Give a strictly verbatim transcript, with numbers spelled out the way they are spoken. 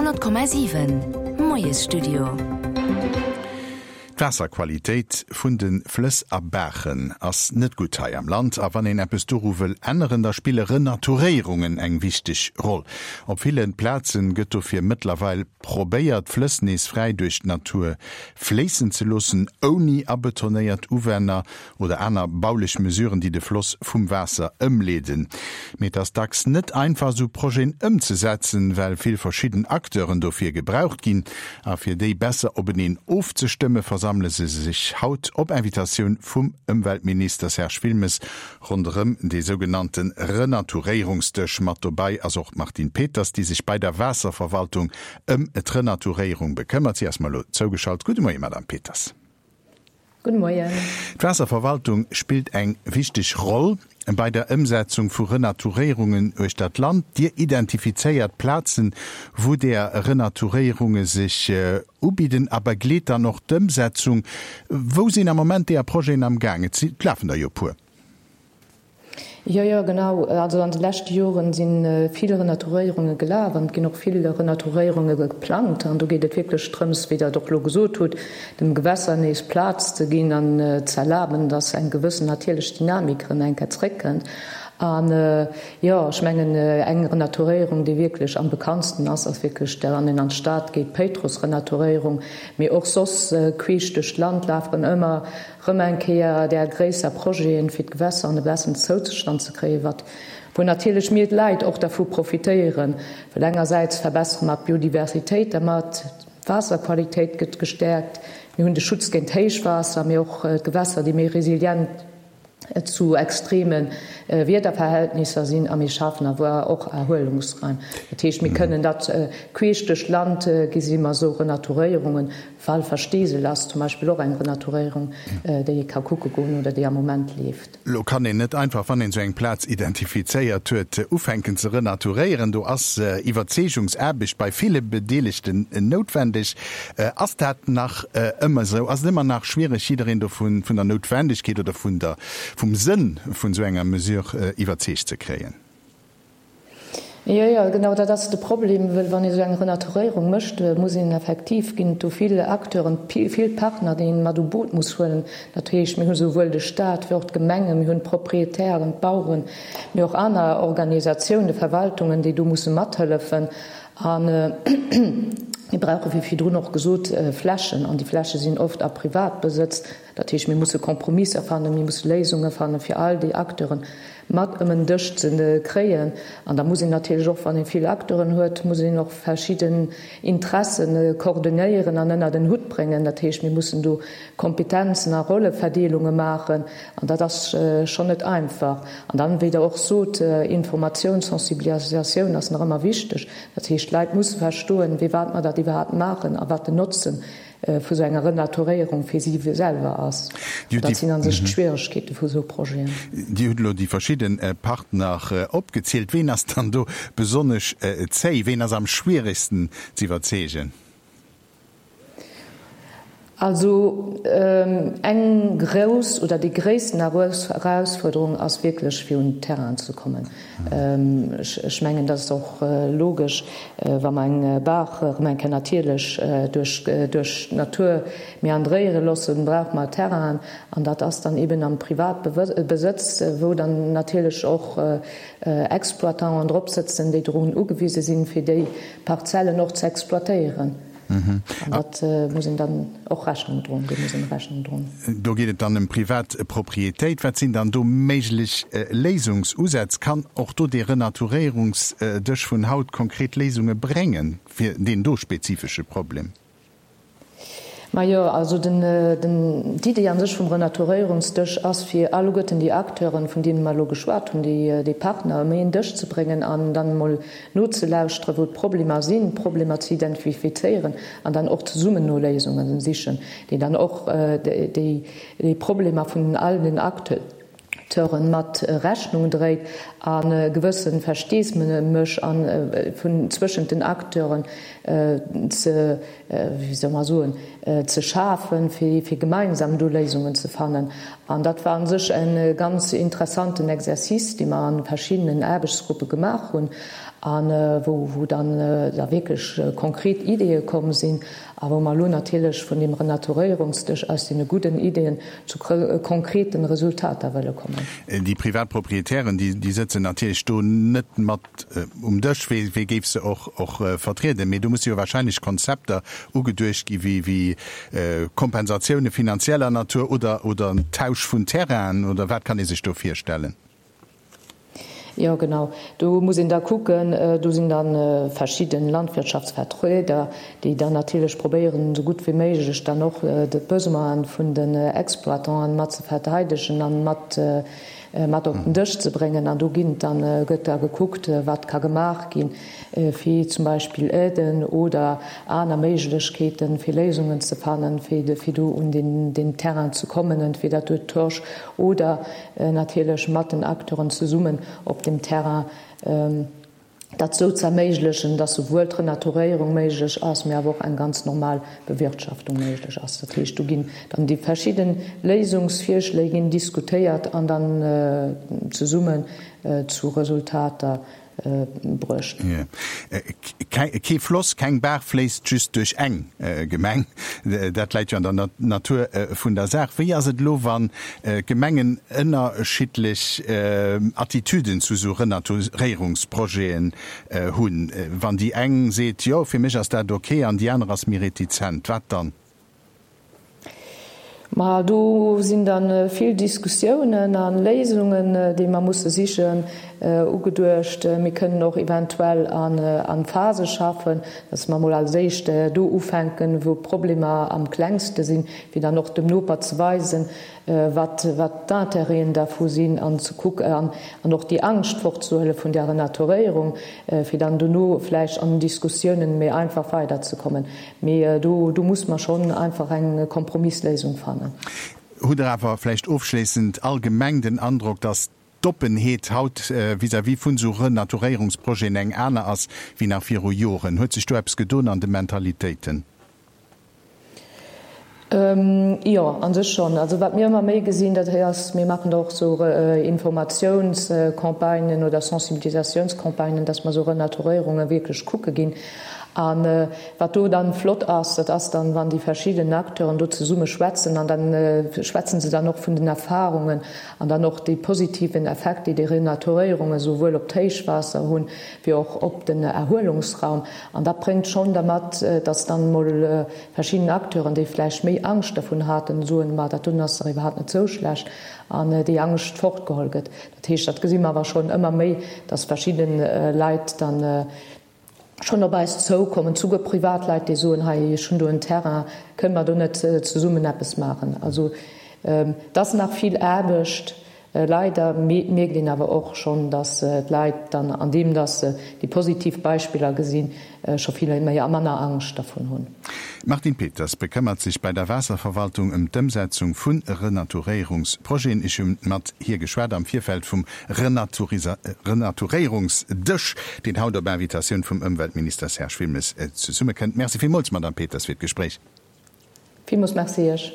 Honnert Komma siwen, Moiesstudio. D'Waasserqualitéit vun de Flëss a Baachen ass net gutt hei am Land. A wann een eppes doru wëll änneren, da spille Renaturéierungen eng wichteg Roll. Op ville Plaze gëtt dofir mëttlerweil probéiert, d'Flëss nees fräi duerch d'Natur fléissen ze loossen, ouni abetonéiert Uwänner oder aner baulech Mesuren, déi de Floss vum Waasser ëmleeden. Mee et ass dacks net einfach, esou Projeten ëmzesetzen, well vill verschidden Acteuren dofir gebraucht ginn. A fir déi besser openeen ofzestëmme, versammele se sech haut op Invitatioun vum Ëmweltminister Serge Wilmes ronderëm dee sougenannte Renaturéierungsdësch. Mat dobäi ass och d'Martine Peters, déi sech bei der Waasserverwaltung ëm d'Renaturéierung bekëmmert. Si ass mer elo zougeschalt. Gudde Moie, Madame Peters. Gudde Moien. D'Waasserverwaltung spillt eng wichteg Roll bei der Ëmsetzung vu Renaturéierungen uechter d'Land. Dir identifizéiert Plazen, wou där Renaturéierunge sech ubidden a begleet dann och d'Ëmsetzung. Wou sinn am Moment deeër Projeten am Gaang? Et lafen der jo e puer. Jo, jo, genau. Also an de leschte Joren si vill Renaturéierunge gelaf an et ginn och vill Renaturéierunge geplangt. An do geet et wierklech drëms, wéi Der et och elo gesot hutt, dem Gewässer nees Plaz ze ginn an ze erlaben, dass eng gewëssen natierlech Dynamik erëm eng Kéier zréckkënnt. An, jo, ech mengen, eng Renaturéierung, déi wierklech am bekanntsten ass, ass wierklech der, wann een an d'Stad geet, d'Péitruss-Renaturéierung. Mee och soss queesch duerch d'Land lafen ëmmer Rëm eng Kéier där gréisser Projeten, fir d'Gewässer an e bessen Zoustand ze kréien, wat, wou natierlech mir d'Leit och dervu profitéieren, well engersäits verbessere mer d'Biodiversitéit dermat, d'Waasserqualitéit gëtt gestäerkt, mir hunn de Schutz géint Héichwaasser, mee och d'Gewässer, déi méi resilient zu extreme Wiederverhältnisser sinn, a mir schafen awer och Erhuelungsraim. Dat heescht, mir kënnen dat queesch duerch d'Land gesi mer esou Renaturéierungen, Walfer-Steesel ass zum Beispill och eng Renaturéierung, déi ee ka kucke goen oder déi am Moment leeft. Lo kann een net einfach, wann een esou eng Plaz identifizéiert huet, ufänken ze renaturéieren. Do ass Iwwerzeegungsaarbecht bei ville Bedeelegten noutwendeg. Ass dat nach ëmmer esou? Ass et ëmmer nach schwiereg, jiddereen dovun, vun der Noutwendegkeet oder vun der, vum Sënn vun esou enger Mesure iwwerzeegt ze kréien? Jo, jo, genau dat ass de Problem, well wann ee sou eng Renaturéierung mécht, muss een effektiv, ginn et do vill Acteuren, vill Partner, déi een mat u Boot muss huelen. Dat heescht, mir hu souwuel de Stat wéi och d'Gemengen, mir hunn d'Proprietären, d'Baueren, mee och aner Organisatiounen, Verwaltungen, déi do musse mathëllefen. A mir brauche, wéi virdrun och gesot, Flächen, an déi Fläche sinn oft a Privatbesëtz. Dat heescht, mir musse Kompromisser fannen, mir musse Léisunge fanne fir all déi Acteuren mat ëm en Dësch ze kréien. An da muss een natierlech och, wann ee vill Acteuren huet, muss een och verschidden Interesse koordinéieren an ënnert en Hutt bréngen. Dat heescht, mir mussen do Kompetenzen a Rolleverdeelunge maachen an dat ass schonn net einfach. An dann, wéi Der och sot, Informatioun, Sensibilisatioun ass nach ëmmer wichteg. Dat heescht, d'Leit musse verstoen, firwat mer dat iwwerhaapt maachen a wat den Notzen vu sou enger Renaturéierung fir si selwer ass. An dat sinn a sech d'Schwieregkeete vu sou Projeten. Dir hutt elo déi verschidde Partner opgezielt. Ween ass dann do besonnesch zéi? Ween ass am schwieregsten z'iwwerzeegen? Also eng grouss oder déi gréissten Erausfuerderung ass wierklech fir un Terrainen ze kommen. Ech mengen, dat ass och logesch, wa mer eng Baach erëm eng Kéier natierlech duerch d'Natur meandréiere loossen, brauche mer Terrainen. An dat ass dann eben am Privatbesëtz, wou dann natierlech och Exploitanten drop sëtzen, déi drun ugewise sinn, fir déi Parzellen och ze exploitéieren. An dat muss een dann och Rechnung droen, deem muss een Rechnung droen. Do geet et dann ëm privat Propriétéit. Wat sinn dann do méiglech Léisungsusätz? Kann och do dee Renaturéierungsdësch vun haut konkret Léisunge bréngen fir deen do spezifesche Problem? Majo, also den, den, d'Idee an sech vum Renaturéierungsdësch ass, fir alleguerten déi Acteuren, vun deene mer elo geschwat hunn, déi, déi Partner ëm een Dësch ze bréngen an dann emol nozelauschteren, wou d'Problemer sinn, d'Problemer ze identifizéieren an dann och zesummen no Léisunge sichen, déi dann och déi, déi Problemer vun all den Acteuren mat Rechnung dréit a gewësse Versteesmemech a vun zwëschent den Acteuren ze, wéi soll mer soen, ze schafen, fir fir gemeinsam do Léisungen ze fannen. An dat war u sech e ganz interessanten Exercice, dee mer a verschiddenen Aarbechtsgruppe gemaach hunn. a wou wou dann da wierklech konkret Ideeë komm sinn a wou mer elo natierlech vun deem Renaturéierungsdësch aus deene gudden Ideeën zu konkreten Resultater wëlle kommen. Déi privat Proprietären, déi déi sëtzen natierlech do net mat um Dësch, wee wee géif se och och vertrieden? Mee do musse jo wahrscheinlech Konzepter ugeduecht gi wéi wéi Kompensatioune finanzieller Natur oder oder en Tausch vun Terrainen oder wat kann ee sech do virstellen? Jo, genau. Do muss een da kucken, do sinn da verschidde Landwirtschaftsvertrieder, déi dann natierlech probéieren, esou gutt wéi méiglech dann och d'Besoine vun den Exploitanten mat ze verteidegen a mat mat op den Dësch ze bréngen. An do ginn dann, gëtt da gekuckt, wat ka gemaach ginn, fir zum Beispill Aiden oder aner Méiglechkeeten, fir Léisungen ze fannen, fir fir do un deen deen Terrain ze kommen, entweder duerch d'Torch oder natierlech mat den Acteuren zesummen op dem Terrain, dat esou ze erméiglechen, dass souwuel d'Renaturéierung méiglech ass, mee awer och eng ganz normal Bewirtschaftung méiglech ass. Dat heescht, do ginn dann déi verschidde Léisungsvirschléi ginn diskutéiert an dann zesummen zu Resultater bruecht. Kee Floss, keng Baach fléisst just duerch eng Gemeng. Dat läit jo an der Natur vun der Saach. Wéi ass et elo, wann d'Gemengen ënnerschiddlech Attitüden zu esou Renaturéierungsprojeten hunn? Wann déi eng seet, jo, fir mech ass dat ok, an déi aner ass méi retizent, wat dann? Ma do sinn da vill Diskussiounen a Léisungen, déi mer musse sichen, ugeduecht. Mir kënnen och eventuell a Phase schaffen, dass mer emol als éischt do ufänken, wou d'Problemer am klengste sinn, fir dann och dem Noper ze weisen, wat d'Intérêten dervu sinn an ze kucken an och déi Angscht fortzehuele vun där Renaturéierung, fir dann dono vläicht an den Diskussiounen méi einfach weiderzekommen. Mee do do muss mer schonn einfach eng Kompromissléisung fannen. Hutt Der awer vläicht ofschléissend allgemeng den Androck, dass d'Oppenheet haut vis-à-vis vun esou Renaturéierungsprojeten eng aner ass wéi nach viru Joren? Huet sech do eppes gedoen an de Mentalitéiten? Jo, a sech schonn. Also wat mir ëmmer méi gesinn, dat ass, mir maachen da och esou Informatiounscampagnen oder Sensibilisatiounscampagnen, dass mer esou Renaturéierunge wierklech kucke ginn. A wat do dann flott ass, dat ass dann, wann déi verschidden Acteuren do zesumme schwätzen an dann schwätzen se dann och vun den Erfahrungen an dann och dee positiven Effekt, déi déi Renaturéierunge souwuel op d'Héichwaasser hunn, wéi och op den Erhuelungsraum. An dat bréngt schonn dermat, dass dann emol verschidden Acteuren, déi vläicht méi Angscht dervun haten, soen, Ma dat doen ass dach iwwerhaapt net esou schlecht, an déi Angscht fortgeholl gëtt. Dat heescht, dat gesi mer awer schonn ëmmer méi, dass verschidde Leit dann schonn op eis zoukommen, souguer Privatleit, déi soen, hei, ech hunn do en Terrain, kënne mer do net zesummen eppes maachen? Also et ass nach vill Aarbecht, leider mierkt een awer och schonn, datt d'Leit dann, andeem datt se déi positiv Beispiller gesinn, scho vill méi a manner Angscht dervun hunn. D'Martine Peters bekëmmert sech bei der Waasserverwaltung ëm d'Ëmsetzung vu Renaturéierungsprojeten. Ech hu mat hir geschwat am Virfeld vum Renaturéierungsdësch, deen haut op Invitatioun vum Ëmweltminister Serge Wilmes zesummekënnt. Merci villmools, Madamm Peters, fir d'Gespréich. Villmools Merci Iech.